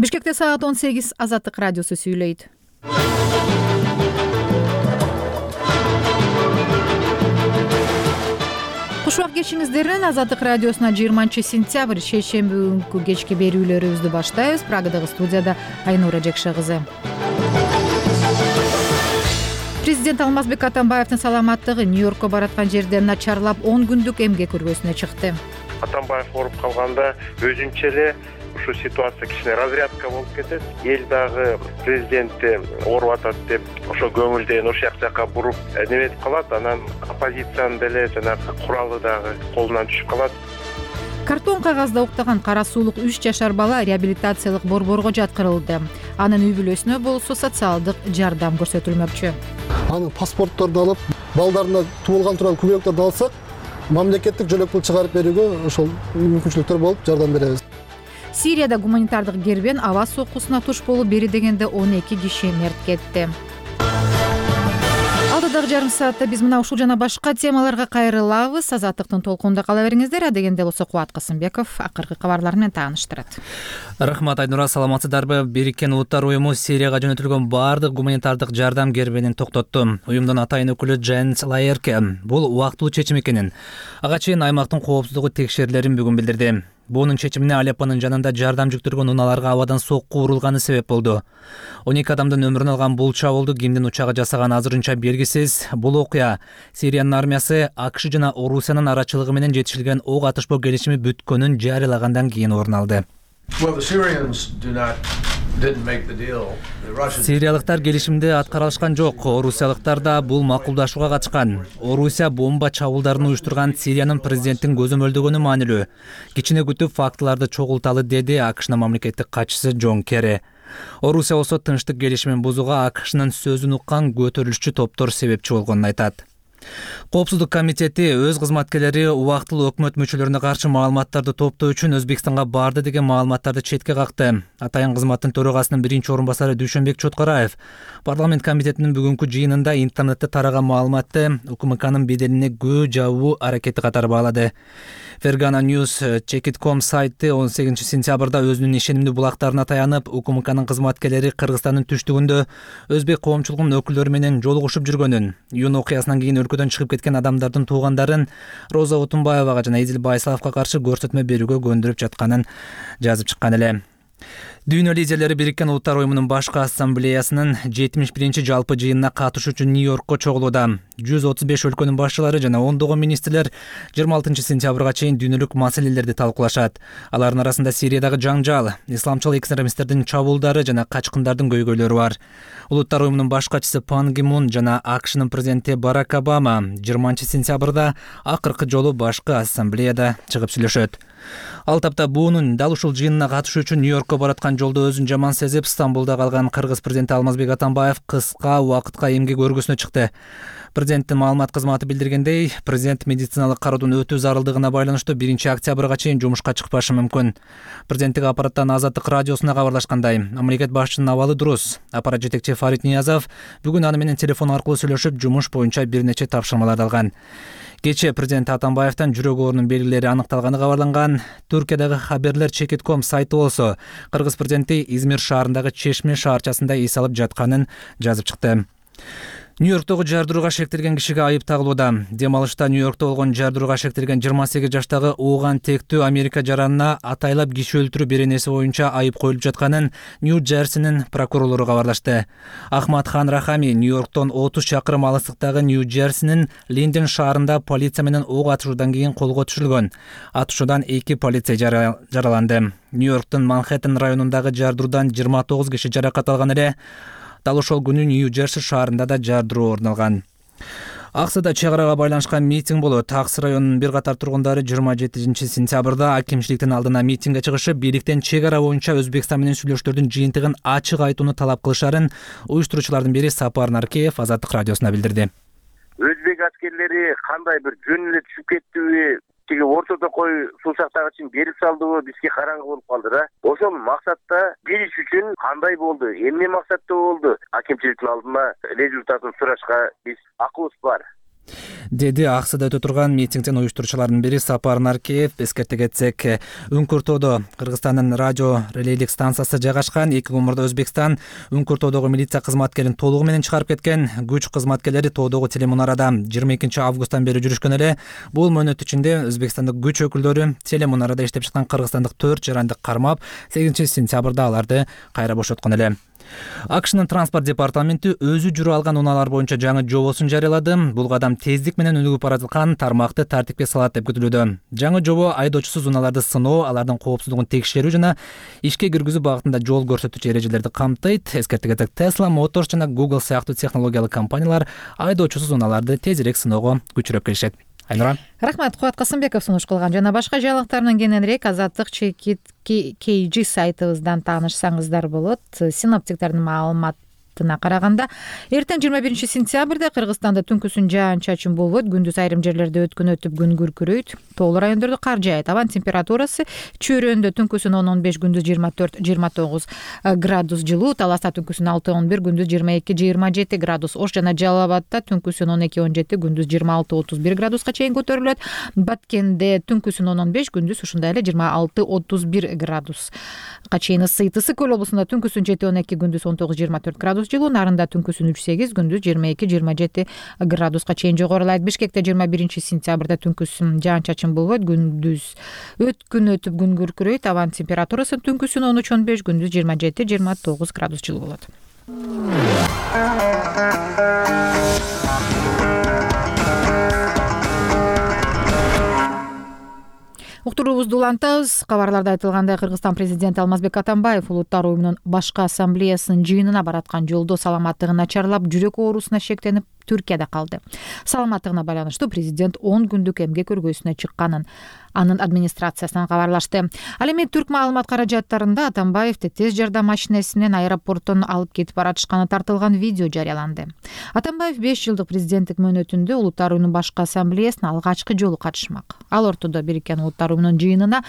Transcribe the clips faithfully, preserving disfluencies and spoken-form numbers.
Бишкекте саат он сегиз. Азаттык радиосу сүйлөйт. Кушубак кечиңиздерин Азаттык радиосуна жыйырманчы сентябрь шейшемби күнкү кечки берүүлөрүбүздү баштайбыз. Прагадагы студияда Айнура Жекше кызы. Президент Алмазбек Атамбаевдин саламаттыгы Нью-Йоркко бараткан жерде начарлап он күндүк эмгек көргөзүнө чыкты. Атамбаев ооруп калганда өзүнчө эле ушу ситуация кичине разрядка болуп кетет. Эл дагы президентти ооруп атат деп ошо көңүлдөн ошол жакка буруп неметип калат. Анан оппозициянын деле жанагы куралы дагы колунан түшүп калат. Картон кагазда уктаган кара суулук үч жашар бала реабилитациялык борборго жаткырылды. Анын үй бүлөсүнө болсо социалдык жардам көрсөтүлмөкчү. Анын паспортторду алып, балдарына туулган турган күбөлөктөрдү алсак, мамлекеттик жөлөк пул чыгарып берүүгө ошол мүмкүнчүлүктөр болуп жардам беребиз. Сирияда гуманитардык кербен аба соккусуна туш болуп бери дегенде он эки киши мерт кетти. Алдыдагы жарым саатта биз мына ушул жана башка темаларга кайрылабыз. Азаттыктын толкунунда кала бериңиздер. Адегенде болсо Кубат Касымбеков акыркы кабарлар менен тааныштырат. Рахмат, Айнура. Саламатсыздарбы? Бириккен Улуттар уюму Сирияга жөнөтүлгөн баардык гуманитардык жардам кербенин токтотту. Уюмдун атайын өкүлү Дженс Лаерке бул убактылуу чечим экенин, ага чейин аймактын коопсуздугу текшерилерин бүгүн билдирди. Бунун чечимине Алеппонун жанында жардам жүктөргөн унааларга абадан сокку урулганы себеп болду. он эки адамдын өмүрүн алган бул чабуулду кимдин учагы жасаганы азырынча белгисиз. Бул окуя Сириянын армиясы АКШ жана Орусиянын арачылыгы менен жетишилген ок атышпоо келишими бүткөнүн жарыялагандан кийин орун алды. Сириялыктар келишимди аткара алышкан жок. Орусиялыктар да бул макулдашууга катышкан. Орусия бомба чабуулдарын уюштурган Сириянын президенттин көзөмөлдөгөнү маанилүү. Кичине күтүп фактыларды чогулталы, деди АКШнын мамлекеттик катчысы Джон Керри. Орусия болсо тынчтык келишимин бузууга АКШнын сөзүн уккан көтөрүлүшчү топтор себепчи болгонун айтат. Коопсуздук комитети өз кызматкерлери убактылуу өкмөт мүчөлөрүнө каршы маалыматтарды топтоо үчүн Өзбекстанга барды деген маалыматтарды четке какты. Атайын кызматтын төрагасынын биринчи орун басары Дүйшөнбек Чоткараев парламент комитетинин бүгүнкү жыйынында интернетте тараган маалыматты УКМКнын беделине көө жабуу аракети катары баалады. Fergana News Check точка ком сайты он сегизинчи сентябрда өзүнүн ишенимдүү булактарына таянып, УКМКнын кызматкерлери Кыргызстандын түштүгүндө өзбек коомчулугунун өкүлдөрү менен жолугушуп жүргөнүн, июнь окуясынан кийин өлкөдөн чыгып кеткен адамдардын туугандарын Роза Отунбаевага жана Эдил Байсаловго каршы көрсөтмө берүүгө көндүрүп жатканын жазып чыккан эле. Дүйнө лидерлери Бириккен Улуттар уюмунун башкы ассамблеясынын жетимиш биринчи жалпы жыйынына катышуу үчүн Нью-Йоркко чогулууда. жүз отуз беш өлкөнүн башчылары жана ондогон министрлер жыйырма алтынчы сентябрга чейин дүйнөлүк маселелерди талкуулашат. Алардын арасында Сириядагы жаңжал, исламчыл экстремисттердин чабуулдары жана качкындардын көйгөйлөрү бар. Улуттар уюмунун баш катчысы Пан Ги Мун жана АКШнын президенти Барак Обама жыйырманчы сентябрда акыркы жолу башкы ассамблеяда чыгып сүйлөшөт. Ал тапта буунун дал ушул жыйынына катышуу үчүн Нью-Йоркко бараткан жолдо өзүн жаман сезип, Стамбулда калган кыргыз президенти Алмазбек Атамбаев кыска убакытка эмгек өргүсүнө чыкты. Президенттин маалымат кызматы билдиргендей, президент медициналык кароодун өтүү зарылдыгына байланыштуу биринчи октябрга чейин жумушка чыкпашы мүмкүн. Президенттик аппараттан Азаттык радиосуна кабарлашкандай, мамлекет башчынын абалы дурус. Аппарат жетекчи Фарид Ниязов бүгүн аны менен телефон аркылуу сүйлөшүп, жумуш боюнча бир нече тапшырмаларды алган. Кечээ президент Атамбаевдин жүрөк оорунун белгилери аныкталганы кабарланган. Туркиядагы Хаберлер Check точка ком сайты болсо кыргыз президенти Измир шаарындагы Чешме шаарчасында эс алып жатканын жазып чыкты. Нью-Йорктогу жардырууга шектелген кишиге айып тагылууда. Дем алышта Нью-Йоркто болгон жардырууга шектелген жыйырма сегиз жаштагы ооган тектүү Америка жаранына атайлап киши өлтүрүү беренеси боюнча айып коюлуп жатканын Нью-Джерсинин прокурорлору кабарлашты. Ахмад Хан Рахами Нью-Йорктон отуз чакырым алыстыктагы Нью-Джерсинин Линден шаарында полиция менен ок атышуудан кийин колго түшүрүлгөн. Атышуудан эки полиция жараланды. Нью-Йорктун Манхэттен районундагы жардыруудан жыйырма тогуз киши жаракат алган эле. Дал ошол күнү Нью-Джерси шаарында да жардыруу орун алган. Аксыда чек арага байланышкан митинг болот. Акс районунун бир катар тургундары жыйырма жетинчи сентябрда акимчиликтин алдына митингге чыгышып, бийликтен чек ара боюнча Өзбекстан менен сүйлөшүүлөрдүн жыйынтыгын ачык айтууну талап кылышарын уюштуруучулардын бири Сапар Наркеев Азаттык радиосуна билдирди. Өзбек аскерлери кандай бир жөн эле түшүп кеттиби, тиги ортодо кой суусактагычын берип салдыбы бизге караңгы болуп калды да. Ошол максатта билиш үчүн кандай болду, эмне максатта болду, акимчиликтин алдына результатын сурашка биз акыбыз бар. деди ак сада өтө турган митингдин уюштуруучуларынын бири Сапар Наркеев. Эскерте кетсек, Үңкүртоодо Кыргызстандын радио релейлик станциясы жайгашкан. Эки күн мурда Өзбекстан Үңкүртоодогу милиция кызматкерин толугу менен чыгарып кеткен. Күч кызматкерлери тоодогу телемунарада жыйырма экинчи августтан бери жүрүшкөн эле. Бул мөөнөт ичинде Өзбекстандык күч өкүлдөрү телемунарада иштеп жаткан кыргызстандык төрт жаранды кармап, сегизинчи сентябрда аларды кайра бошоткон эле. АКШнын транспорт департаменти өзү жүрө алган унаалар боюнча жаңы жобосун жарыялады. Бул кадам тездик менен өнүгүп бара жаткан тармакты тартипке салат деп күтүлүүдө. Жаңы жобо айдоочусуз унааларды сыноо, алардын коопсуздугун текшерүү жана ишке киргизүү багытында жол көрсөтүүчү эрежелерди камтыйт. Эскерте кетсек, Tesla Motors жана Google сыяктуу технологиялык компаниялар айдоочусуз унааларды тезирээк сыноого күчүрөп келишет. Айнура. Рахмат, Кубат Касымбеков сунуш кылган. Жана башка жаңылыктардан кененирээк Азаттык чекит кей жи сайтыбыздан таанышсаңыздар болот. Синоптиктердин маалыматына караганда, эртең жыйырма биринчи сентябрда Кыргызстанда түнкүсүн жаан-чачын болбойт, күндүз айрым жерлерде өткөн өтүп күн күркүрөйт. Тоолуу райондордо кар жаайт. Абан температурасы Чөйрөндө түнкүсүн он он беш, күндүз жыйырма төрт жыйырма тогуз градус жылуу, Таласта түнкүсүн алты он бир, күндүз жыйырма эки жыйырма жети градус, Ош жана Жалал Абадта түнкүсүн он эки он жети, күндүз жыйырма алты отуз бир градуска чейин көтөрүлөт. Баткенде түнкүсүн он он беш, күндүз ушундай эле жыйырма алты отуз бир градуска чейин ысыйт. Ысык Көл облусунда түнкүсүн жети он эки, күндүз он тогуз жыйырма төрт градус жылуу, Нарында түнкүсүн үч сегиз, күндүз жыйырма эки жыйырма жети градуска чейин жогорулайт. Бишкекте жыйырма биринчи сентябрда түнкүсүн жаан-чачын болбойт, күндүз өткүн өтүп күн күркүрөйт. Абан температурасы түнкүсүн он үч он беш, күндүз жыйырма жети жыйырма тогуз градус жылуу болот. Уктуруубузду улантабыз. Кабарларда айтылгандай, Кыргызстан президенти Алмазбек Атамбаев Улуттар уюмунун башкы ассамблеясынын жыйынына бараткан жолдо саламаттыгы начарлап, жүрөк оорусуна шектенип Түркияда калды. Саламаттыгына байланыштуу президент он күндүк эмгек өргөөсүнө чыкканын анын администрациясынан кабарлашты. Ал эми Түрк маалымат каражаттарында Атамбаевди тез жардам машинеси менен аэропорттон алып кетип баратышканы тартылган видео жарыяланды. Атамбаев беш жылдык президенттик мөөнөтүндө Улуттар уюмунун башкы ассамблеясына алгачкы жолу катышмак. Ал ортодо Бириккен Улуттар уюмунун жыйынына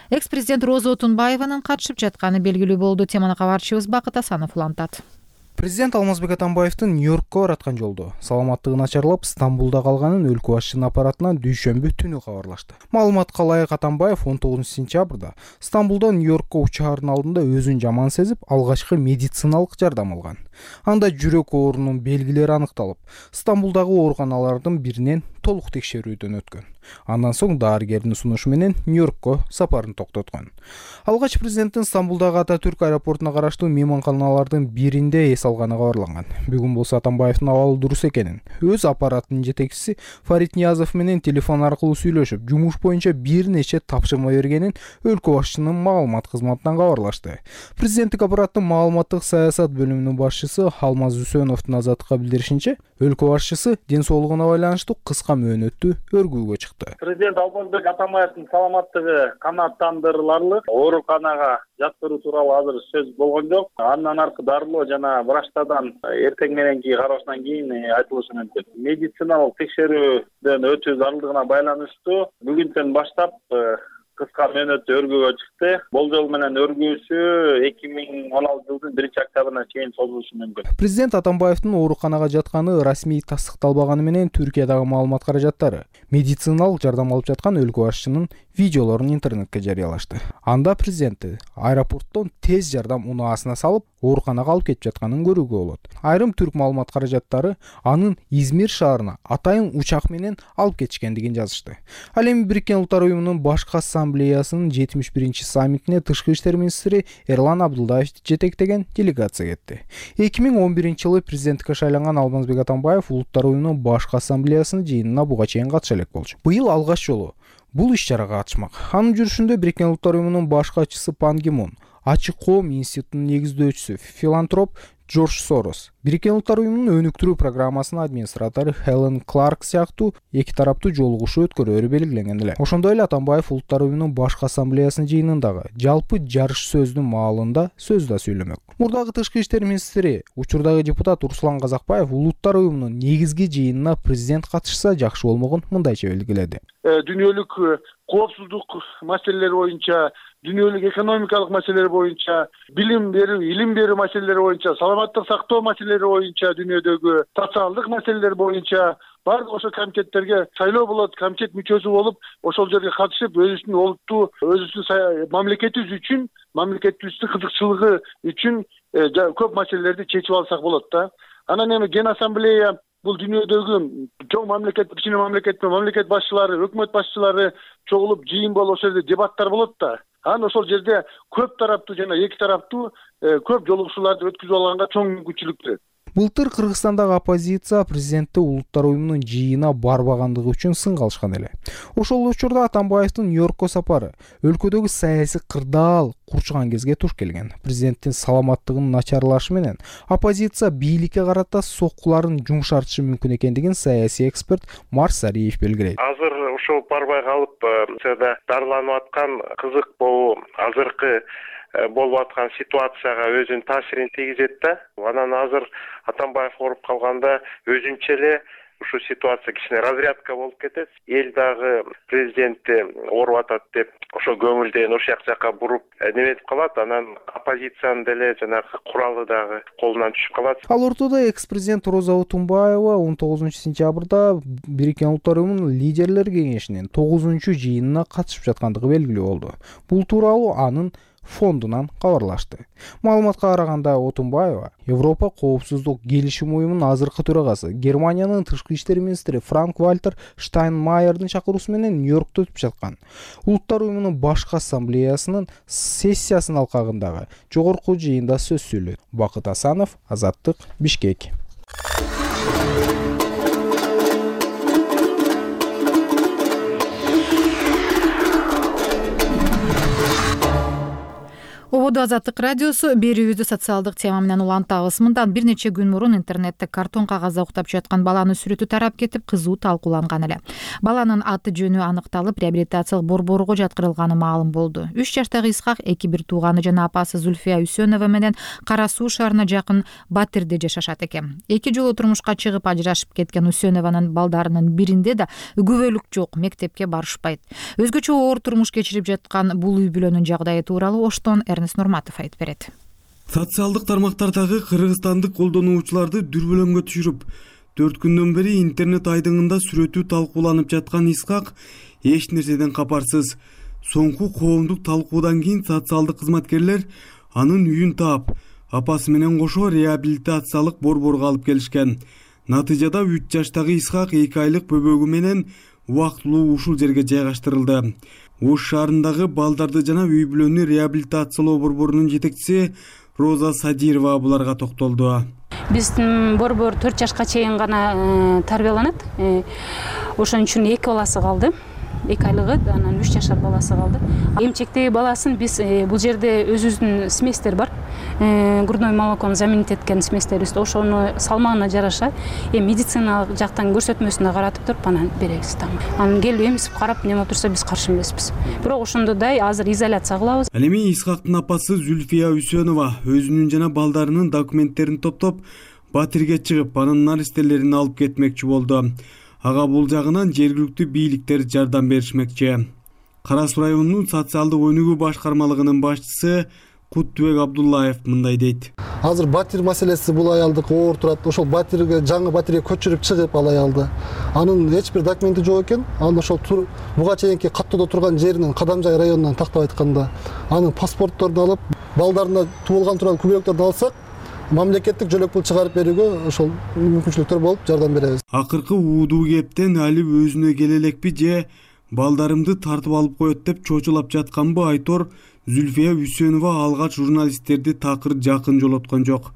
экс-президент Роза Отунбаеванын катышып жатканы белгилүү болду. Теманы кабарчыбыз Бакыт Асанов улантат. Президент Алмазбек Атамбаевдин Нью-Йоркко бараткан жолдо саламаттыгы начарлап, Стамбулда калганын өлкө башчынын аппаратынан дүйшөмбү түнү кабарлашты. Маалыматка ылайык, Атамбаев он тогузунчу сентябрда Стамбулдан Нью-Йоркко учаардын алдында өзүн жаман сезип, алгачкы медициналык жардам алган. Анда жүрөк оорунун белгилери аныкталып, Стамбулдагы ооруканалардын биринен толук текшерүүдөн өткөн. Андан соң дарыгердин сунушу менен Нью-Йоркко сапарын токтоткон. Алгач президенттин Стамбулдагы Ататүрк аэропортуна караштуу мейманканалардын биринде эс алганы кабарланган. Бүгүн болсо Атамбаевдин абалы дурус экенин, өз аппаратынын жетекчиси Фарид Ниязов менен телефон аркылуу сүйлөшүп, жумуш боюнча бир нече тапшырма бергенин өлкө башчынын маалымат кызматынан кабарлашты. Президенттик аппараттын маалыматтык саясат бөлүмүнүн башчысы Алмаз Үсөновдун Азаттыкка билдиришинче, өлкө башчысы ден соолугуна байланыштуу кыска мөөнөттүү өргүүгө чыкты. Президент Алмазбек Атамбаевдин саламаттыгы канааттандырыларлык, ооруканага жаткыруу тууралуу азыр сөз болгон жок. Андан аркы дарылоо жана врачтардан эртең мененки кароосунан кийин айтылышы мүмкүн. Медициналык текшерүүдөн өтүү зарылдыгына байланыштуу бүгүнтөн баштап кыска мөөнөттүү өргүүгө чыкты. Болжол менен өргүүсү эки миң он алтынчы жылдын биринчи октябрына чейин созулушу мүмкүн. Президент Атамбаевдин ооруканага жатканы расмий тастыкталбаганы менен Түркиядагы маалымат каражаттары медициналык жардам алып жаткан өлкө башчынын видеолорун интернетке жарыялашты. Анда президентти аэропорттон тез жардам унаасына салып, ооруканага алып кетип жатканын көрүүгө болот. Айрым түрк маалымат каражаттары анын Измир шаарына атайын учак менен алып кетишкендигин жазышты. Ал эми Бириккен Улуттар уюмунун башкы ассамблеясынын жетимиш биринчи саммитине тышкы иштер министри Эрлан Абдулдаев жетектеген делегация кетти. эки миң он биринчи жылы президенттикке шайланган Алмазбек Атамбаев Улуттар уюмунун башкы ассамблеясынын жыйынына буга чейин катыша элек болчу. Быйыл алгач жолу бул иш-чарага катышмак. Анын жүрүшүндө Бириккен Улуттар уюмунун баш катчысы Пан Ги Мун, Ачык коом институтунун негиздөөчүсү, филантроп Джордж Сорос, Бириккен Улуттар уюмунун өнүктүрүү программасынын администратору Хелен Кларк сыяктуу эки тараптуу жолугушуу өткөрөөрү белгиленген эле. Ошондой эле Атамбаев Улуттар уюмунун башкы ассамблеясынын жыйынындагы жалпы жарыш сөздүн маалында сөз да сүйлөмөк. Мурдагы тышкы иштер министри, учурдагы депутат Руслан Казакбаев Улуттар уюмунун негизги жыйынына президент катышса жакшы болмогун мындайча белгиледи. Дүйнөлүк коопсуздук маселелери боюнча, дүйнөлүк экономикалык маселелер боюнча, билим берүү, илим берүү маселелери боюнча, саламаттык сактоо маселелери боюнча, дүйнөдөгү социалдык маселелер боюнча баардык ошо комитеттерге шайлоо болот, комитет мүчөсү болуп, ошол жерге катышып, өзүбүздүн олуттуу, өзүбүздүн мамлекетибиз үчүн, мамлекетибиздин кызыкчылыгы үчүн көп маселелерди чечип алсак болот да. Анан эми Ген ассамблея бул дүйнөдөгү чоң мамлекет, кичине мамлекет, мамлекет башчылары, өкмөт башчылары чогулуп жыйын болуп, ошол жерде дебаттар болот да. Анан ошол жерде көп тараптуу жана эки тараптуу көп жолугушууларды өткүзүп алганга чоң мүмкүнчүлүк берет. Былтыр Кыргызстандагы оппозиция президентти Улуттар уюмунун жыйынына барбагандыгы үчүн сын калышкан эле. Ошол учурда Атамбаевдин Нью-Йоркко сапары өлкөдөгү саясий кырдаал курчуган кезге туш келген. Президенттин саламаттыгынын начарлашы менен оппозиция бийликке карата соккуларын жумшартышы мүмкүн экендигин саясий эксперт Марс Сариев белгилейт. Азыр ошол барбай калып, дарыланып аткан кызык болуу азыркы болуп аткан ситуацияга өзүнүн таасирин тийгизет да. Анан азыр Атамбаев ооруп калганда өзүнчө эле ушул ситуация кичине разрядка болуп кетет. Эл дагы президентти ооруп атат деп ошо көңүлдөн ошол жакка буруп неметип калат. Анан оппозициянын деле жанагы куралы дагы колунан түшүп калат. Ал ортодо экс-президент Роза Отунбаева он тогузунчу сентябрда Бириккен Улуттар уюмунун лидерлер кеңешинин тогузунчу жыйынына катышып жаткандыгы белгилүү болду. Бул тууралуу анын фондунан кабарлашты. Маалыматка караганда Отунбаева Европа коопсуздук келишим уюмунун азыркы төрагасы Германиянын тышкы иштер министри Франк-Вальтер Штайнмайердин чакыруусу менен Нью-Йоркто өтүп жаткан Улуттар уюмунун башкы ассамблеясынын сессиясынын алкагындагы жогорку жыйында сөз сүйлөдү. Бакыт Асанов, Азаттык, Бишкек. Ободу Азаттык радиосу берүүбүздү социалдык тема менен улантабыз. Мындан бир нече күн мурун интернетте картон кагазда уктап жаткан баланын сүрөтү тарап кетип, кызуу талкууланган эле. Баланын аты жөнү аныкталып, реабилитациялык борборго жаткырылганы маалым болду. үч жаштагы Исхак эки бир тууганы жана апасы Зүлфия Үсөнова менен Кара Суу шаарына жакын Батирде жашашат экен. Эки жолу турмушка чыгып ажырашып кеткен Үсөнованын балдарынын биринде да күбөлүк жок, мектепке барышпайт. Өзгөчө оор турмуш кечирип жаткан бул үй бүлөнүн жагдайы тууралуу Оштон Нурматов айтып берет. Социалдык тармактардагы кыргызстандык колдонуучуларды дүрбөлөңгө түшүрүп, төрт күндөн бери интернет айдыңында сүрөтү талкууланып жаткан Исхак эч нерседен капарсыз. Соңку коомдук талкуудан кийин социалдык кызматкерлер анын үйүн таап, апасы менен кошо реабилитациялык борборго алып келишкен. Натыйжада үч жаштагы Исхак эки айлык бөбөгү менен убактылуу ушул жерге жайгаштырылды. Ош шаарындагы балдарды жана үй бүлөнү реабилитациялоо борборунун жетекчиси Роза Садирова буларга токтолду. Биздин борбор төрт жашка чейин гана тарбияланат. Ошон үчүн эки баласы калды. эки айлыгы, анан үч жашар баласы калды. Эмчектеги баласын биз бул жерде өзүбүздүн сместер бар. Грудной молокону заменить эткен сместерибиз. Ошону салмагына жараша медициналык жактан көрсөтмөсүнө каратып туруп анан беребиз. Анан келип эмисип карап неме турса биз каршы эмеспиз. Бирок ошондой азыр изоляция кылабыз. Ал эми Исхактын апасы Зүлфия Үсөнова өзүнүн жана балдарынын документтерин топтоп Батирге чыгып, анын наристелерин алып кетмекчи болду. Ага бул жагынан жергиликтүү бийликтер жардам беришмекчи. Кара Суу районунун социалдык өнүгүү башкармалыгынын башчысы Куттубек Абдуллаев мындай дейт. Азыр Батир маселеси бул аялдык оор турат. Ошол Батирге, жаңы Батирге көчүрүп чыгып ал аялды. Анын эч бир документи жок экен. Анын ошол буга чейинки каттоодо турган жеринин Кадамжай районунан тактап айтканда, анын паспортторду алып, балдарына туулган тууралуу күбөлүктөрдү алсак, мамлекеттик жөлөк пул чыгарып берүүгө ошол мүмкүнчүлүктөр болуп жардам беребиз. Акыркы уудуу кептен али өзүнө келе элекпи же балдарымды тартып алып коет деп чочулап жатканбы айтор Зүлфия Үсөнова алгач журналисттерди такыр жакын жолоткон жок.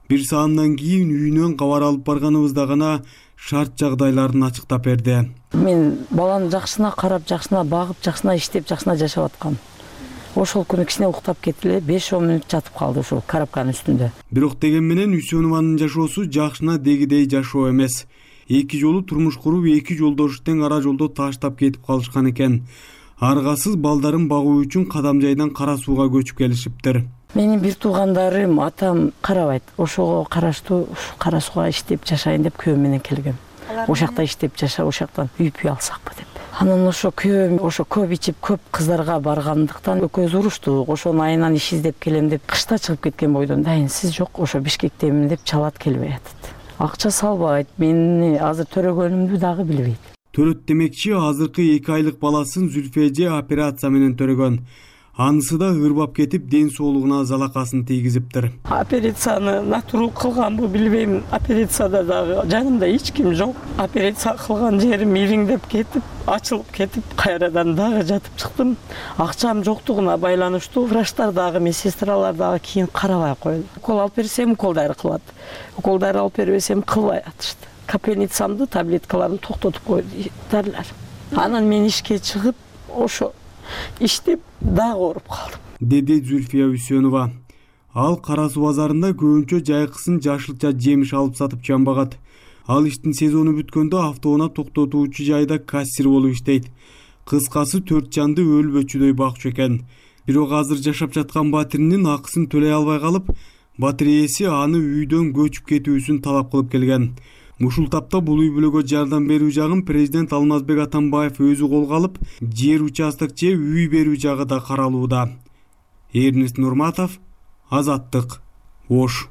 Бир саамдан кийин үйүнөн кабар алып барганыбызда гана шарт жагдайларын ачыктап берди. Мен баланы жакшына карап, жакшына багып, жакшына иштеп, жакшына жашап аткам. Ошол күнү кичине уктап кетти, беш он мүнөт жатып калды ошол карапканын үстүндө. Бирок деген менен Үсөнованын жашоосу жакшына дегидей жашоо эмес. Эки жолу турмуш куруп, эки жолдошу тең ара жолдо таштап кетип калышкан экен. Аргасыз балдарын багуу үчүн Кадамжайдан Кара Сууга көчүп келишиптир. Менин бир туугандарым, атам карабайт. Ошого караштуу Кара Сууга иштеп жашайын деп күйөөм менен келгем. Ошакта иштеп жаша, ошактан үй үй алсакпы деп. Анан ошо күйөөм ошо көп ичип, көп кыздарга баргандыктан экөөбүз уруштук. Ошонун айынан иш издеп келем деп кышта чыгып кеткен бойдон дайын сиз жок, ошо Бишкектемин деп чалат, келбей атат. акча салбайт, мени азыр төрөгөнүмдү дагы билбейт. Төрөт демекчи азыркы эки айлык баласын Зүлфия эже операция менен төрөгөн. Анысы да ырбап кетип, ден соолугуна залакасын тийгизиптир. Операцияны натурал кылганбы билбейм. Операцияда дагы жанымда эч ким жок. Операция кылган жерим ириңдеп кетип, ачылып кетип, кайрадан дагы жатып чыктым. Акчам жоктугуна байланыштуу врачтар дагы, медсестралар дагы кийин карабай койду. Укол алып берсем, укол дары кылат. Укол дары алып бербесем, кылбай атышты. Капельницамды, таблеткаларын токтотуп койду дәрилер. Анан мен ишке чыгып, ошо иштеп дагы ооруп калдым, деди Зүлфия Үсөнова. Ал Кара Суу базарында көбүнчө жайкысын жашылча жемиш алып сатып жамбагат. Ал иштин сезону бүткөндө автоунаа токтотуучу жайда кассир болуп иштейт. Кыскасы төрт жанды өлбөчүдөй бакчу экен. Бирок азыр жашап жаткан батиринин акысын төлөй албай калып, батир ээси аны үйдөн көчүп кетүүсүн талап кылып келген. Ушул тапта бул үй бүлөгө жардам берүү жагын президент Алмазбек Атамбаев өзү колго алып, жер участок же үй берүү жагы да каралууда. Эрнест Нурматов, Азаттык, Ош.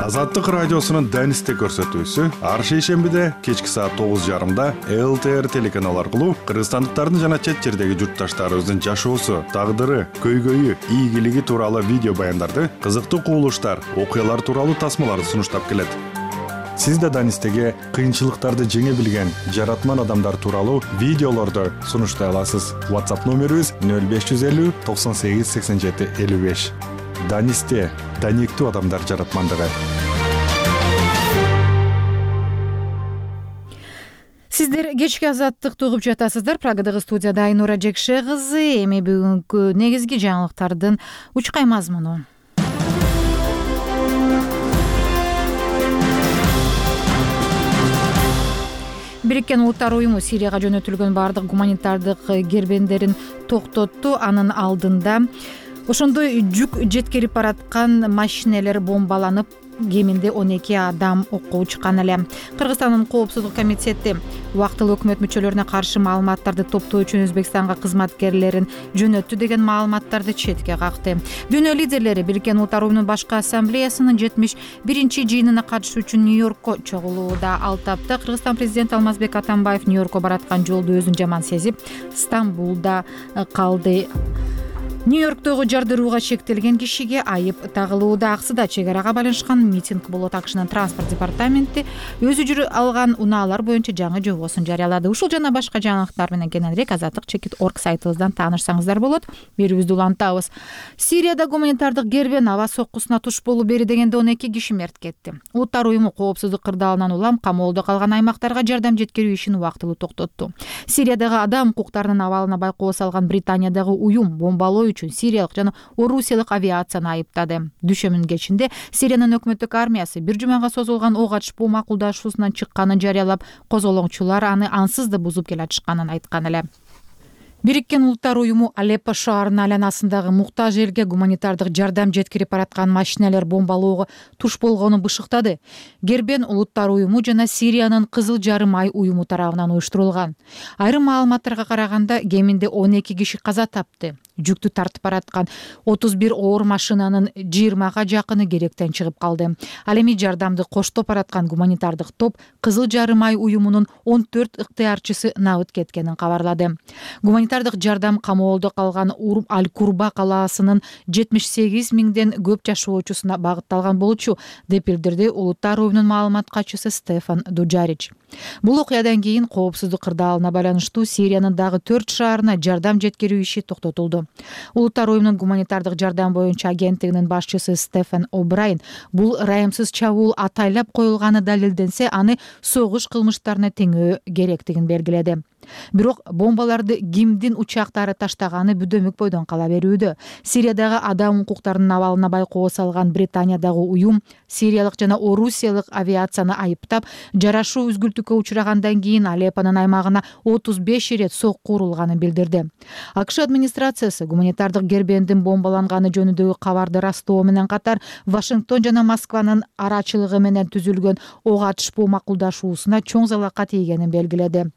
Азаттык радиосунун Данисте көрсөтүүсү ар шейшембиде кечки саат тогуз жарымда эл тэ эр телеканал аркылуу кыргызстандыктардын жана чет жердеги журтташтарыбыздын жашоосу, тагдыры, көйгөйү, ийгилиги тууралуу видео баяндарды, кызыктуу кубулуштар, окуялар тууралуу тасмаларды сунуштап келет. Сиз да Данистеге кыйынчылыктарды жеңе билген жаратман адамдар тууралуу видеолорду сунуштай аласыз. WhatsApp номерибиз нөл беш жүз элүү токсон сегиз сексен жети элүү беш. Данисте даниктүү адамдар жаратмандыгы. Сиздер кечки азаттыкты угуп жатасыздар. Прагадагы студияда Айнура Жекше кызы. Эми бүгүнкү негизги жаңылыктардын учкай мазмуну. Бириккен Улуттар уюму Сирияга жөнөтүлгөн бардык гуманитардык кербендерин токтотту. Анын алдында ошондой жүк жеткирип бараткан машинелер бомбаланып, кеминде он эки адам окко учкан эле. Кыргызстандын коопсуздук комитети убактылуу өкмөт мүчөлөрүнө каршы маалыматтарды топтоо үчүн Өзбекстанга кызматкерлерин жөнөттү деген маалыматтарды четке какты. Дүйнө лидерлери Бириккен Улуттар уюмунун башкы ассамблеясынын жетимиш биринчи жыйынына катышуу үчүн Нью-Йоркко чогулууда. Ал тапта Кыргызстан президенти Алмазбек Атамбаев Нью-Йоркко бараткан жолду өзүн жаман сезип, Стамбулда калды. Нью-Йорктогу жардырууга чектелген кишиге айып тагылууда. Аксыда чек арага байланышкан митинг болот. АКШнын транспорт департаменти өзү жүрүп алган унаалар боюнча жаңы жобосун жарыялады. Ушул жана башка жаңылыктар менен кененирээк азаттык чекит точка орг сайтыбыздан таанышсаңыздар болот. Берүүбүздү улантабыз. Сирияда гуманитардык кербен аба соккусуна туш болуп бери дегенде он эки киши мерт кетти. Улуттар уюму коопсуздук кырдаалынан улам камоолдо калган аймактарга жардам жеткирүү ишин убактылуу токтотту. Сириядагы адам укуктарынын абалына байкоо салган Британиядагы уюм бомбалоо үчүн сириялык жана орусиялык авиацияны айыптады. Дүшөмүн кечинде Сириянын өкмөттүк армиясы бир жумага созулган ок атышпоо макулдашуусунан чыкканын жарыялап, козголоңчулар аны ансыз да бузуп келатышканын айткан эле. Бириккен Улуттар уюму Алеппо шаарынын айланасындагы муктаж элге гуманитардык жардам жеткирип бараткан машинелер бомбалоого туш болгонун бышыктады. Кербен Улуттар уюму жана Сириянын Кызыл жарым ай уюму тарабынан уюштурулган. Айрым маалыматтарга караганда, кеминде он эки киши каза тапты. Жүктү тартып бараткан отуз бир оор машинанын жыйырмага жакыны керектен чыгып калды. Ал эми жардамды коштоп бараткан гуманитардык топ Кызыл жарым ай уюмунун он төрт ыктыярчысы набыт кеткенин кабарлады. Гуманитардык жардам камоолдо калган Аль-Курба калаасынын жетимиш сегиз миңден көп жашоочусуна багытталган болчу, деп билдирди Улуттар уюмунун маалымат катчысы Стефан Дуджарич. Бул окуядан кийин коопсуздук кырдаалына байланыштуу Сириянын дагы төрт шаарына жардам жеткирүү иши токтотулду. Улуттар уюмунун гуманитардык жардам боюнча агенттигинин башчысы Стефан О'Брайен бул ырайымсыз чабуул атайлап коюлганы далилденсе, аны согуш кылмыштарына теңөө керектигин белгиледи. Бирок бомбаларды кимдин учактары таштаганы бүдөмүк бойдон кала берүүдө. Сириядагы адам укуктарынын абалына байкоо салган Британиядагы уюм сириялык жана орусиялык авиацияны айыптап, жарашуу үзгүлтүккө учрагандан кийин Алеппонун аймагына отуз беш ирет сокку урулганын билдирди. АКШ администрациясы гуманитардык кербендин бомбаланганы жөнүндөгү кабарды ырастоо менен катар Вашингтон жана Москванын арачылыгы менен түзүлгөн ок атышпоо макулдашуусуна чоң залака тийгенин белгиледи.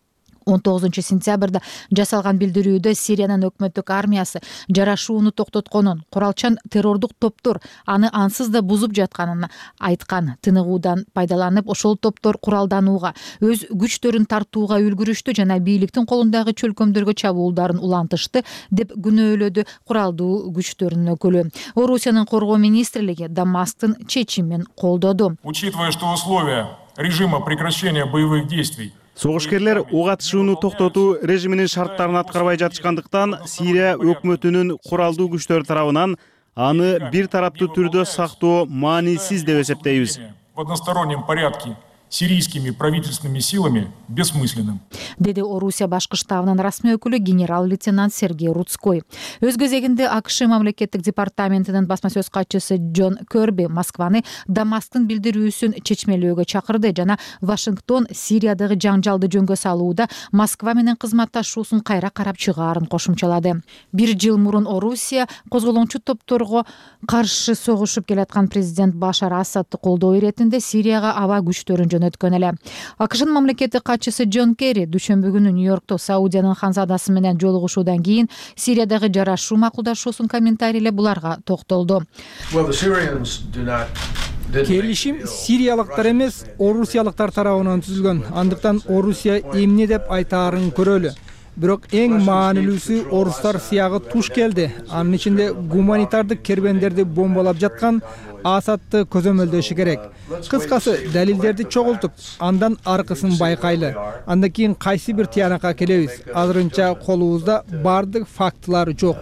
он тогузунчу сентябрда жасалган билдирүүдө Сириянын өкмөттүк армиясы жарашууну токтотконун, куралчан террордук топтор аны ансыз да бузуп жатканын айткан. Тыныгуудан пайдаланып, ошол топтор куралданууга, өз күчтөрүн тартууга үлгүрүштү жана бийликтин колундагы чөлкөмдөргө чабуулдарын улантышты деп күнөөлөдү куралдуу күчтөрдүн өкүлү. Орусиянын коргоо министрлиги Дамасктын чечимин колдоду. Учитывая, что условия режима прекращения боевых действий Согушкерлер ок атышууну токтотуу режиминин шарттарын аткарбай жатышкандыктан Сирия өкмөтүнүн куралдуу күчтөр тарабынан аны бир тараптуу түрдө сактоо маанисиз деп эсептейбиз. В одностороннем порядке сирийскими правительственными силами бессмысленным, деди Орусия башкы штабынын расмий өкүлү генерал-лейтенант Сергей Рудской. Өз кезегинде АКШ мамлекеттик департаментинин басма сөз катчысы Джон Керби Москваны Дамасктын билдирүүсүн чечмелөөгө чакырды жана Вашингтон Сириядагы жаңжалды жөнгө салууда Москва менен кызматташуусун кайра карап чыгаарын кошумчалады. Бир жыл мурун Орусия козголоңчу топторго каршы согушуп келаткан президент Башар Асадты колдоо иретинде Сирияга аба күчтөрүн жөнөткөн эле. АКШнын мамлекеттик катчысы Джон Керри дүйшөмбү күнү Нью-Йоркто Саудиянын ханзадасы менен жолугушуудан кийин Сириядагы жарашуу макулдашуусун комментарийлеп буларга токтолду. Келишим сириялыктар эмес, орусиялыктар тарабынан түзүлгөн. Андыктан Орусия эмне деп айтаарын көрөлү. Бирок эң маанилүүсү орустар сыягы туш келди. Анын ичинде гуманитардык кербендерди бомбалап жаткан Асадты көзөмөлдөшү керек. Кыскасы, далилдерди чогултуп, андан аркысын байкайлы. Андан кийин кайсы бир тыянакка келебиз. Азырынча колубузда бардык фактылар жок.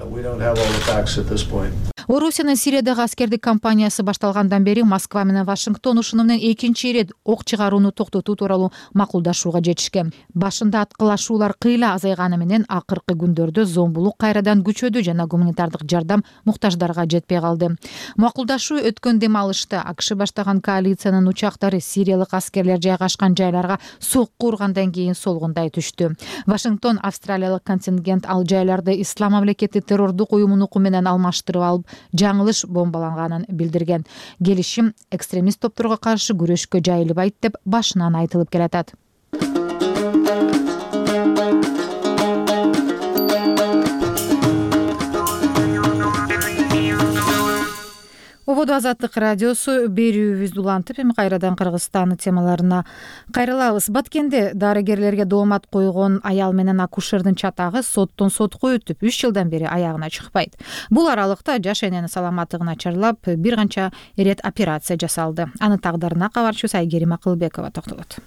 Орусиянын Сириядагы аскердик кампаниясы башталгандан бери Москва менен Вашингтон ушуну менен экинчи ирет ок чыгарууну токтотуу тууралуу макулдашууга жетишкен. Башында аткылашуулар кыйла азайганы менен акыркы күндөрдө зомбулук кайрадан күчөдү жана гуманитардык жардам муктаждарга жетпей калды. Макулдашуу өткөн дем алышта АКШ баштаган коалициянын учактары сириялык аскерлер жайгашкан жайларга сокку ургандан кийин солгундай түштү. Вашингтон австралиялык контингент ал жайларды ислам мамлекети террордук уюмунун уку менен алмаштырып алып, жаңылыш бомбаланганын билдирген. Келишим экстремист топторго каршы күрөшкө жайылбайт деп башынан айтылып келатат. Ободо Азаттык радиосу берүүбүздү улантып, эми кайрадан Кыргызстан темаларына кайрылабыз. Баткенде дарыгерлерге доомат койгон аял менен акушердин чатагы соттон сотко өтүп, үч жылдан бери аягына чыкпайт. Бул аралыкта жаш эненин саламаттыгы начарлап, бир канча ирет операция жасалды. Анын тагдырына кабарчыбыз Айгерим Акылбекова токтолот.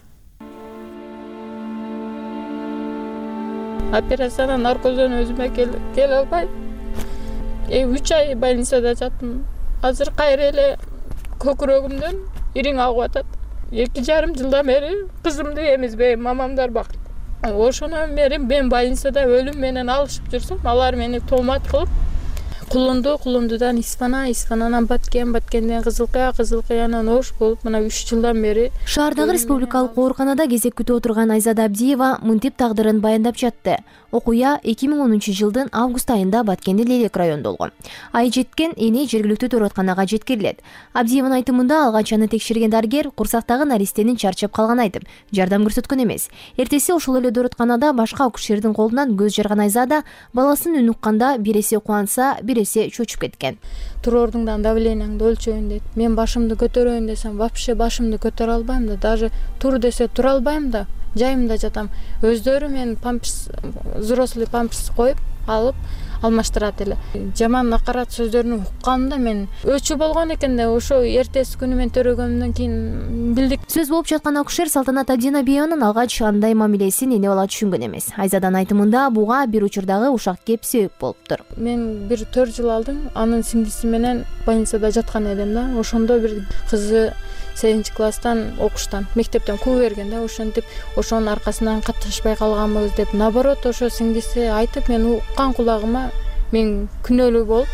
Операциядан наркоздон өзүмө келе албай, үч ай больницада жаттым. Азыр кайра эле көкүрөгүмдөн ириң агып атат. Эки жарым жылдан бери кызымды эмизбейм, мамамдар бак. Ошондон бери мен больницада өлүм менен алышып жүрсөм, алар мени тоомат кылып, Кулунду, Кулундудан Исфана, Исфананан Баткен, Баткенден Кызылкая, Кызылкаянан Ош болуп, мына үч жылдан бери шаардагы республикалык ооруканада кезек күтүп отурган Айзада Абдиева мынтип тагдырын баяндап жатты. Окуя эки миң онунчу жылдын август айында Баткендин Лелек районунда болгон. Ай жеткен эне жергиликтүү төрөтканага жеткирилет. Абдиеванын айтымында алгач аны текшерген дарыгер курсактагы наристенин чарчап калганын айтып, жардам көрсөткөн эмес. Эртеси ошол эле төрөтканада башка акушердин колунан көз жарган Айзада баласын үн укканда бир эсе кубанса, бир эсе чочуп кеткен. Турордуңдан давлениеңди өлчөйүн дейт. Мен башымды көтөрөйүн десем, вообще башымды көтөрө албайм да, даже тур десе тура албайм да. Жайымда жатам. Өздөрү мен памперс, взрослый памперс коюп, алып алмаштырат эле. Жаман накарат сөздөрүн укканда мен өчү болгон экен да, ошо эртеси күнү мен төрөгөндөн кийин билдик. Сөз болуп жаткан акушер Салтанат Абдинабиеванын алгач андай мамилесин эне бала түшүнгөн эмес. Айзаданын айтымында буга бир учурдагы ушак кеп себеп болуптур. Мен бир төрт жыл алдым, анын сиңдиси менен больницада жаткан элем да. Ошондо бир кызы сегизинчи класстан окуштан, мектептен куу берген да, ошентип, ошонун аркасынан катташпай калганбыз деп, наоборот, ошо сиңдиси айтып, мен уккан кулагыма мен күнөөлүү болуп,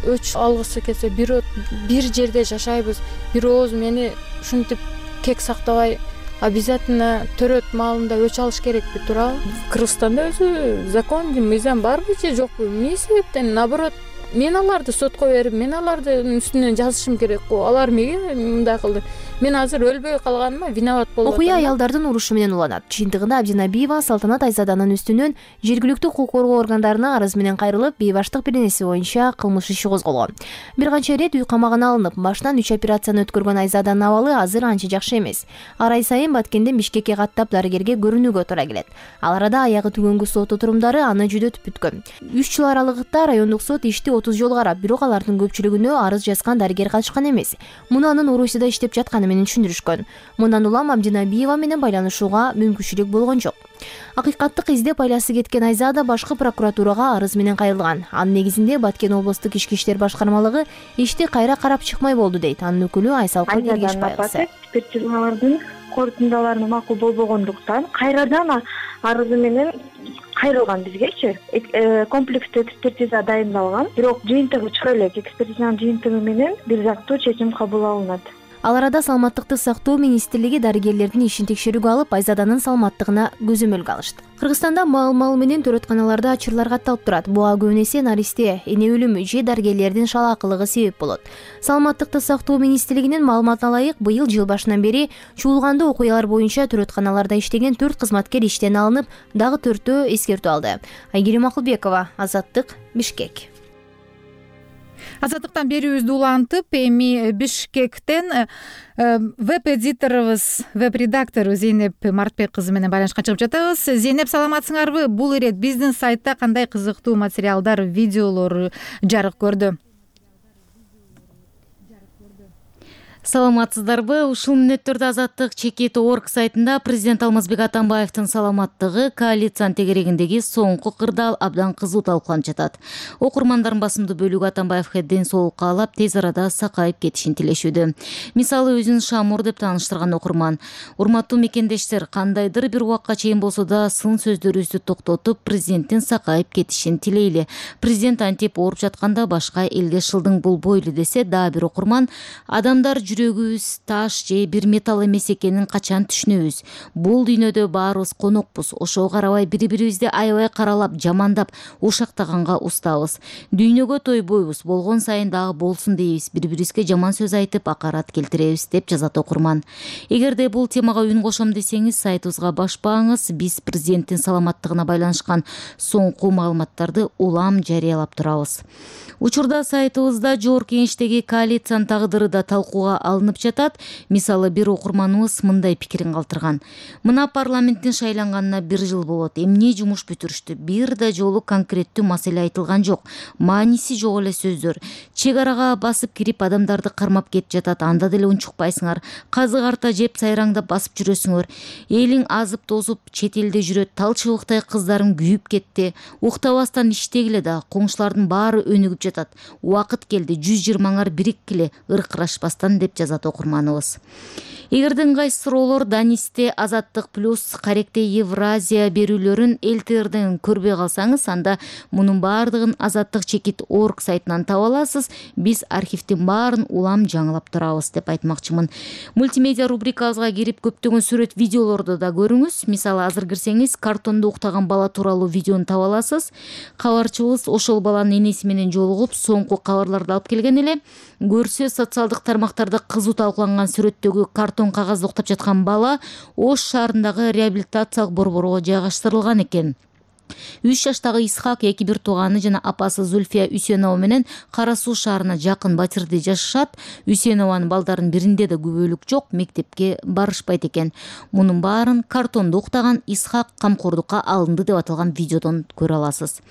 өч алгысы келсе, бир бир жерде жашайбыз, бир ооз мени ушинтип кек сактабай, обязательно төрөт маалында өч алыш керекпи туурабы? Кыргызстанда өзү закон, мыйзам барбы же жокпу? Эмне себептен, наоборот, мен аларды сотко берип мен алардын үстүнөн жазышым керек го. Алар эмнеге мындай кылды? Мен азыр өлбөй калганыма виноват болуп атам. Окуя аялдардын урушу менен уланат. Жыйынтыгында Абдинабиева Салтанат Айзаданын үстүнөн жергиликтүү укук коргоо органдарына арыз менен кайрылып, бейбаштык беренеси боюнча кылмыш иши козголгон. Бир канча ирет үй камагына алынып, башынан үч операцияны өткөргөн Айзаданын абалы азыр анча жакшы эмес. Ар ай сайын Баткенден Бишкекке каттап дарыгерге көрүнүүгө туура келет. Ал арада аягы түгөнгү сот отурумдары аны жүдөтүп бүткөн. үч жыл аралыгында райондук сот ишти отуз жолу карап, бирок алардын көпчүлүгүнө арыз жазган дарыгер катышкан эмес. Муну анын Орусияда иштеп жатканы менен түшүндүрүшкөн. Мындан улам Абдинабиева менен байланышууга мүмкүнчүлүк болгон жок. Акыйкаттык издеп айласы кеткен Айзада башкы прокуратурага арыз менен кайрылган. Анын негизинде Баткен облустук ички иштер башкармалыгы ишти кайра карап чыкмай болду дейт анын өкүлү Айсал Калгергеш байкысы. Экспертизалардын корутундалары макул болбогондуктан кайрадан арызы менен кайрылган бизгечи. Комплекстүү экспертиза дайындалган, бирок жыйынтыгы чыга элек. Экспертизанын жыйынтыгы менен бир жактуу чечим кабыл алынат. Ал арада Саламаттыкты сактоо министрлиги дарыгерлердин ишин текшерүүгө алып, Айзаданын саламаттыгына көзөмөлгө алышты. Кыргызстанда мал-мал менен төрөтканаларда ачырлар катталып турат. Буга көп эсе наристе, эне өлүмү же дарыгерлердин шалаакылыгы себеп болот. Саламаттыкты сактоо министрлигинин маалыматына ылайык, быйыл жыл башынан бери чуулгандуу окуялар боюнча төрөтканаларда иштеген төрт кызматкер иштен алынып, дагы төртөө эскертүү алды. Айгерим Акылбекова, Азаттык, Бишкек. Азаттыктан берүүбүздү улантып, эми Бишкектен веб-эдиторубуз, веб-редактору Зейнеп Мартбек кызы менен байланышка чыгып жатабыз. Зейнеп, саламатсыңарбы? Бул ирет биздин сайтта кандай кызыктуу материалдар, видеолор жарык көрдү? Саламатсыздарбы? Ушул мүнөттөрдө Азаттык чекит точка орг сайтында президент Алмазбек Атамбаевдин саламаттыгы коалициянын тегерегиндеги соңку кырдаал абдан кызуу талкууланып жатат. Окурмандардын басымдуу бөлүгү Атамбаевге ден соолук каалап, тез арада сакайып кетишин тилешүүдө. Мисалы, өзүн Шамур деп тааныштырган окурман: урматтуу мекендештер, кандайдыр бир убакка чейин болсо да сын сөздөрүбүздү токтотуп, президенттин сакайып кетишин тилейли. Президент антип ооруп жатканда башка элге шылдың болбойлу десе, дагы бир окурман: адамдар жүрөгүбүз таш же бир металл эмес экенин качан түшүнөбүз. Бул дүйнөдө баарыбыз конокпуз. Ошого карабай бири-бирибизди аябай каралап, жамандап, ушактаганга устабыз. Дүйнөгө тойбойбуз, болгон сайын дагы болсун дейбиз. Бири-бирибизге жаман сөз айтып, акарат келтиребиз, деп жазат окурман. Эгерде бул темага үн кошом десеңиз, сайтыбызга башпаңыз. Биз президенттин саламаттыгына байланышкан соңку маалыматтарды улам жарыялап турабыз. Учурда сайтыбызда жогорку кеңештеги коалициянын тагдыры да талкууга алынып жатат. Мисалы, бир окурманыбыз мындай пикирин калтырган: мына парламенттин шайланганына бир жыл болот. Эмне жумуш бүтүрүштү? Бир да жолу конкреттүү маселе айтылган жок. Мааниси жок эле сөздөр. Чек арага басып кирип, адамдарды кармап кетип жатат. Анда деле унчукпайсыңар. Казык арта жеп сайраңдап басып жүрөсүңөр. Элиң азып тозуп чет элде жүрөт. Тал чыбыктай кыздарым күйүп кетти. Уктабастан иштегиле да, коңшулардын баары өнүгүп жатат. Убакыт келди, жүз жыйырмаңар бириккиле, ыркырашпастан, деп жазат окурманыбыз. Эгерде ыңгайсыз суроолор Данисте, Азаттык плюс, Каректе Евразия берүүлөрүн эл тэ эрден көрбөй калсаңыз, анда мунун баардыгын Азаттык чекит точка орг сайтынан таба аласыз. Биз архивдин баарын улам жаңылап турабыз, деп айтмакчымын. Мультимедиа рубрикабызга кирип, көптөгөн сүрөт, видеолорду да көрүңүз. Мисалы, азыр кирсеңиз, картондо уктаган бала тууралуу видеону таба аласыз. Кабарчыбыз ошол баланын энеси менен жолугуп, соңку кабарларды алып келген эле. Көрсө, социалдык тармактарда кызуу талкууланган сүрөттөгү картон кагазда уктап жаткан бала Ош шаарындагы реабилитациялык борборго жайгаштырылган экен. үч жаштагы Исхак, эки бир тууганы жана апасы Зульфия Үсенова менен Кара Суу шаарына жакын Батирде жашашат. Үсенованын балдарынын биринде да күбөлүк жок, мектепке барышпайт экен. Мунун баарын картондо уктаган Исхак камкордукка алынды деп аталган видеодон көрө аласыз.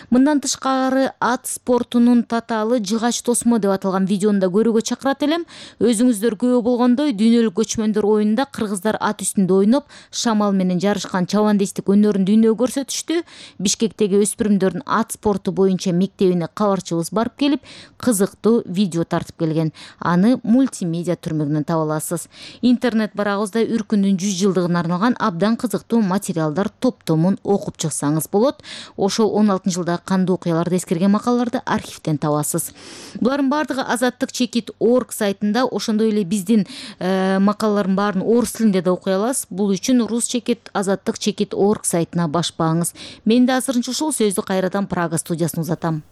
Мындан тышкары, ат спортунун татаалы жыгач тосмо деп аталган видеону да көрүүгө чакырат элем. Өзүңүздөр күбө болгондой, дүйнөлүк көчмөндөр оюнунда кыргыздар ат үстүндө ойноп, шамал менен жарышкан чабандестик өнөрүн дүйнөгө көрсөтүштү. Бишкектеги өспүрүмдөрдүн ат спорту боюнча мектебине кабарчыбыз барып келип, кызыктуу видео тартып келген. Аны мультимедиа түрмөгүнөн таба аласыз. Интернет барагыбызда Үркүндүн жүз жылдыгына арналган абдан кызыктуу материалдар топтомун окуп чыксаңыз болот. Ошол он алтынчы жылдагы кандуу окуяларды эскерген макалаларды архивден табасыз. Булардын баардыгы Азаттык чекит точка орг сайтында, ошондой эле биздин э, макалалардын баарын орус тилинде да окуй аласыз. Бул үчүн рус чекит Азаттык чекит точка орг сайтына башпаңыз. Мен да азырынча ушул сөздү кайрадан Прага студиясына узатам.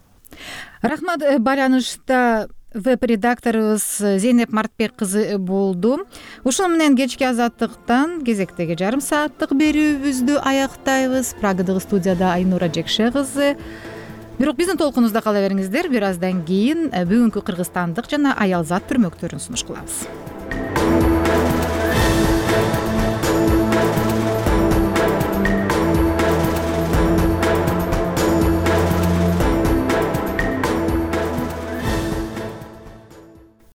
рахмат. Байланышта веб редакторубуз Зейнеп Мартбек кызы болду. Ушуну менен кечки Азаттыктан кезектеги жарым сааттык берүүбүздү аяктайбыз. Прагадагы студияда Айнура Жекше кызы. Бирок биздин толкунубузда кала бериңиздер. Бир аздан кийин бүгүнкү кыргызстандык жана аял зат түрмөктөрүн сунуш кылабыз.